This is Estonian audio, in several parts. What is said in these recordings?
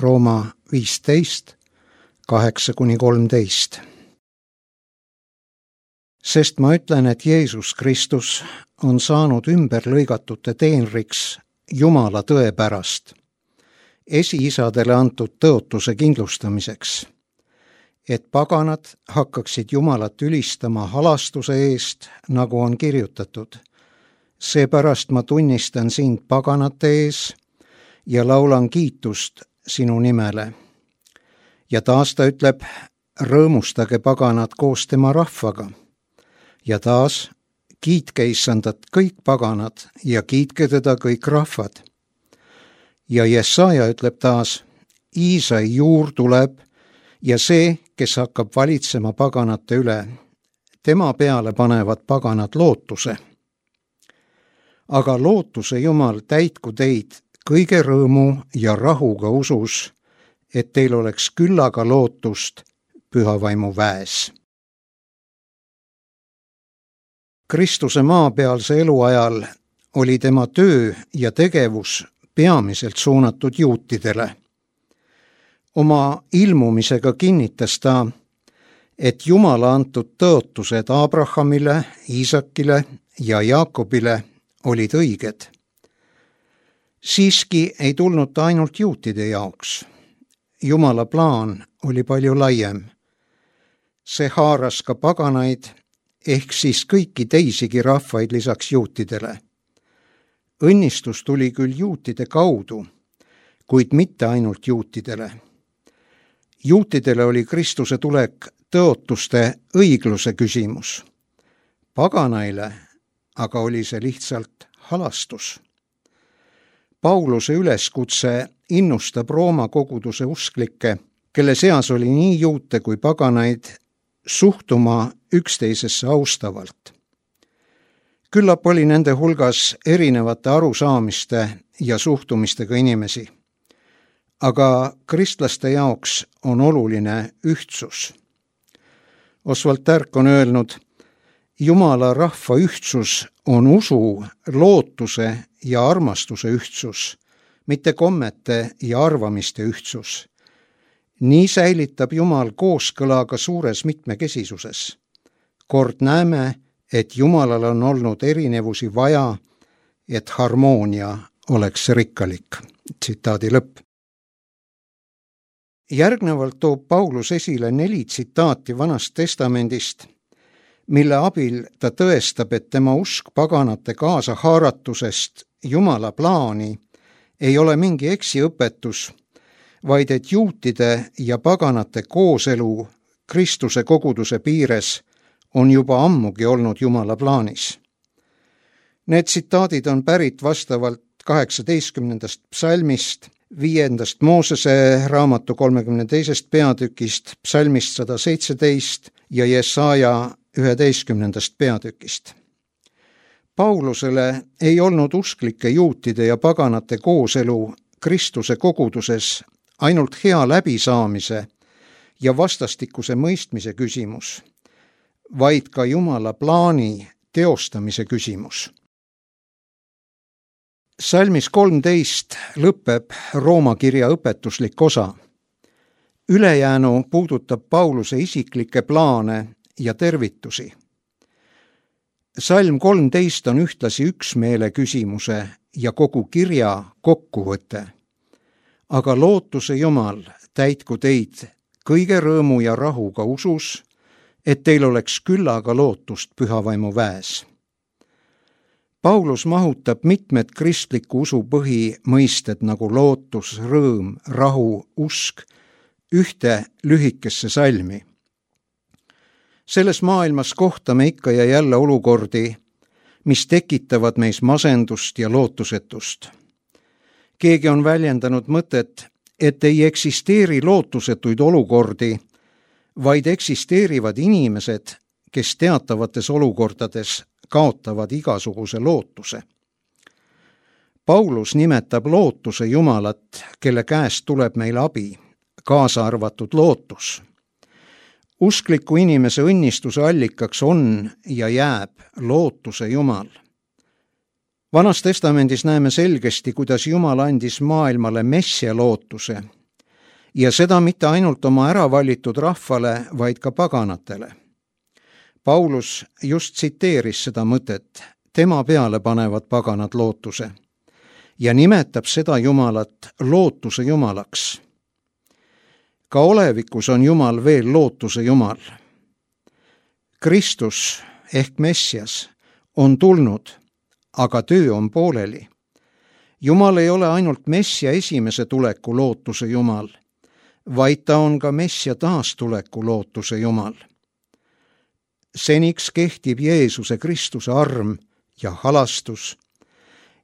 Rooma 15, 8-13. Sest ma ütlen, et Jeesus Kristus on saanud ümberlõigatute teenriks Jumala tõe pärast, esiisadele antud tõotuse kindlustamiseks, et paganad hakkaksid Jumalat ülistama halastuse eest, nagu on kirjutatud. Seepärast ma tunnistan sind paganate ees ja laulan kiitust sinu nimele. Ja taas ta ütleb, rõõmustage paganad koos tema rahvaga. Ja taas, kiitke Issandat kõik paganad ja kiitke teda kõik rahvad. Ja Jesaja ütleb taas, Iisai juur tuleb ja see, kes hakkab valitsema paganate üle, tema peale panevad paganad lootuse. Aga lootuse Jumal täitku teid kõige rõõmu ja rahuga usus, et teil oleks küllaga lootust pühavaimu väes. Kristuse maapealse eluajal oli tema töö ja tegevus peamiselt suunatud juutidele. Oma ilmumisega kinnitas ta, et Jumala antud tõotused Abrahamile, Iisakile ja Jaakobile olid õiged. Siiski ei tulnud ta ainult juutide jaoks. Jumala plaan oli palju laiem. See haaras ka paganaid, ehk siis kõiki teisigi rahvaid lisaks juutidele. Õnnistus tuli küll juutide kaudu, kuid mitte ainult juutidele. Juutidele oli Kristuse tulek tõotuste õigluse küsimus. Paganaile aga oli see lihtsalt halastus. Pauluse üleskutse innustab Rooma koguduse usklikke, kelle seas oli nii juute kui paganaid, suhtuma üksteisesse austavalt. Küllap oli nende hulgas erinevate arusaamiste ja suhtumistega inimesi. Aga kristlaste jaoks on oluline ühtsus. Oswald Tärk on öelnud, Jumala rahva ühtsus on usu, lootuse ja armastuse ühtsus, mitte kommete ja arvamiste ühtsus. Nii säilitab Jumal kooskõla ka suures mitmekesisuses. Kord näeme, et Jumalal on olnud erinevusi vaja, et harmoonia oleks rikkalik. Tsitaadi lõpp. Järgnevalt toob Paulus esile 4 tsitaati Vanast Testamendist, mille abil ta tõestab, et tema usk paganate kaasahaaratusest Jumala plaani ei ole mingi eksiõpetus, vaid et juutide ja paganate kooselu Kristuse koguduse piires on juba ammugi olnud Jumala plaanis. Need tsitaadid on pärit vastavalt 18. psalmist, 5. Moosese raamatu 32. peatükist, psalmist 117 ja Jesaja 11. peatükist. Paulusele ei olnud usklike juutide ja paganate kooselu Kristuse koguduses ainult hea läbisaamise ja vastastikuse mõistmise küsimus, vaid ka Jumala plaani teostamise küsimus. Salmis 13 lõpeb Rooma kirja õpetuslik osa. Ülejäänu puudutab Pauluse isiklikke plaane ja tervitusi. Salm 13 on ühtlasi üksmeele küsimuse ja kogu kirja kokkuvõte. Aga lootuse Jumal täitku teid kõige rõõmu ja rahuga usus, et teil oleks küllaga lootust pühavaimu väes. Paulus mahutab mitmed kristliku usu põhimõisted nagu lootus, rõõm, rahu, usk ühte lühikesse salmi. Selles maailmas kohtame ikka ja jälle olukordi, mis tekitavad meis masendust ja lootusetust. Keegi on väljendanud mõtet, et ei eksisteeri lootusetuid olukordi, vaid eksisteerivad inimesed, kes teatavates olukordades kaotavad igasuguse lootuse. Paulus nimetab lootuse Jumalat, kelle käest tuleb meil abi, kaasa arvatud lootus. Uskliku inimese õnnistuse allikaks on ja jääb lootuse Jumal. Vanas Testamendis näeme selgesti, kuidas Jumal andis maailmale messia lootuse ja seda mitte ainult oma äravalitud rahvale, vaid ka paganatele. Paulus just tsiteeris seda mõtet, tema peale panevad paganad lootuse ja nimetab seda Jumalat lootuse Jumalaks. Ka olevikus on Jumal veel lootuse Jumal. Kristus ehk Messias on tulnud, aga töö on pooleli. Jumal ei ole ainult Messia esimese tuleku lootuse Jumal, vaid ta on ka Messia taastuleku lootuse Jumal. Seniks kehtib Jeesuse Kristuse arm ja halastus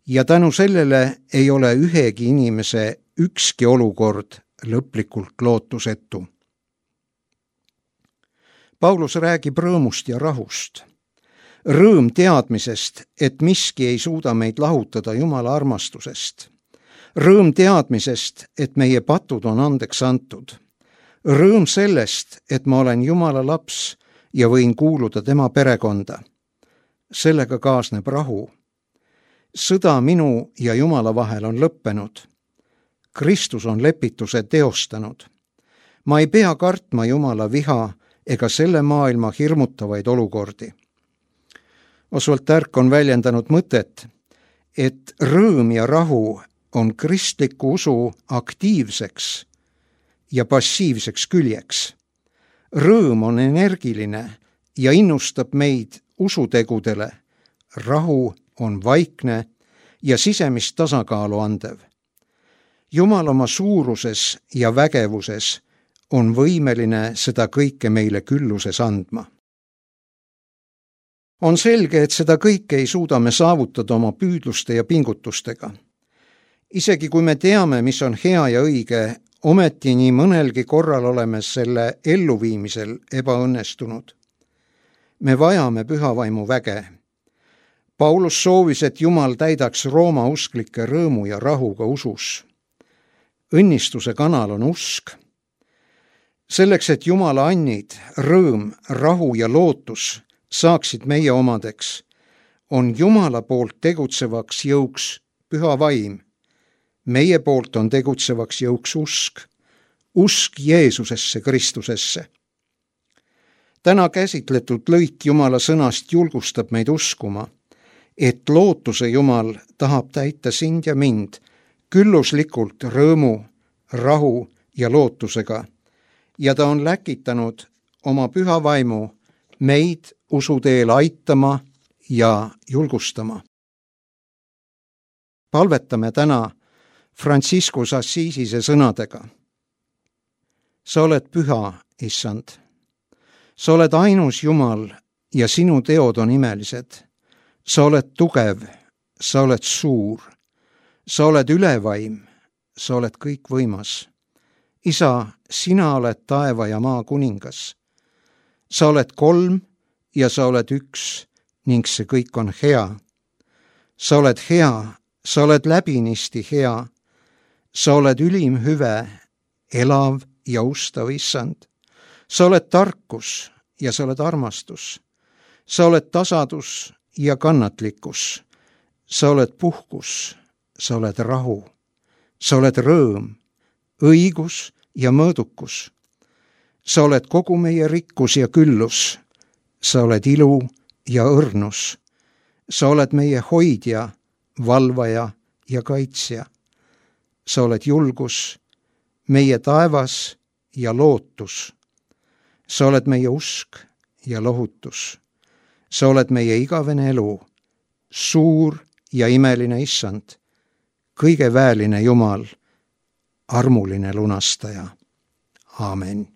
ja tänu sellele ei ole ühegi inimese ükski olukord lõplikult lootusetu. Paulus räägib rõõmust ja rahust. Rõõm teadmisest, et miski ei suuda meid lahutada Jumala armastusest. Rõõm teadmisest, et meie patud on andeks antud. Rõõm sellest, et ma olen Jumala laps ja võin kuuluda tema perekonda. Sellega kaasneb rahu. Sõda minu ja Jumala vahel on lõppenud. Kristus on lepituse teostanud. Ma ei pea kartma Jumala viha ega selle maailma hirmutavaid olukordi. Oswald Tärk on väljendanud mõtet, et rõõm ja rahu on kristliku usu aktiivseks ja passiivseks küljeks. Rõõm on energiline ja innustab meid usutegudele. Rahu on vaikne ja sisemist tasakaalu andev. Jumal oma suuruses ja vägevuses on võimeline seda kõike meile külluses andma. On selge, et seda kõike ei suuda me saavutada oma püüdluste ja pingutustega. Isegi kui me teame, mis on hea ja õige, ometi nii mõnelgi korral oleme selle elluviimisel ebaõnnestunud. Me vajame pühavaimu väge. Paulus soovis, et Jumal täidaks Rooma usklike rõõmu ja rahuga usus. Õnnistuse kanal on usk. Selleks, et Jumala annid, rõõm, rahu ja lootus saaksid meie omadeks, on Jumala poolt tegutsevaks jõuks püha vaim. Meie poolt on tegutsevaks jõuks usk Jeesusesse Kristusesse. Täna käsitletud lõik Jumala sõnast julgustab meid uskuma, et lootuse Jumal tahab täita sind ja mind külluslikult rõõmu, rahu ja lootusega ja ta on läkitanud oma püha vaimu meid usuteel aitama ja julgustama. Palvetame täna Franciscus Assisise sõnadega. Sa oled püha, Issand. Sa oled ainus Jumal ja sinu teod on imelised. Sa oled tugev, sa oled suur. Sa oled ülevaim, sa oled kõikvõimas. Isa, sina oled taeva ja maa kuningas. Sa oled kolm ja sa oled üks ning see kõik on hea. Sa oled hea, sa oled läbinisti hea. Sa oled ülim hüve, elav ja ustav Issand. Sa oled tarkus ja sa oled armastus. Sa oled tasadus ja kannatlikkus. Sa oled puhkus, sa oled rahu. Sa oled rõõm, õigus ja mõõdukus. Sa oled kogu meie rikkus ja küllus. Sa oled ilu ja õrnus. Sa oled meie hoidja, valvaja ja kaitsja. Sa oled julgus, meie taevas ja lootus. Sa oled meie usk ja lohutus. Sa oled meie igavene elu, suur ja imeline Issand, kõige väeline Jumal, armuline lunastaja. Aamen.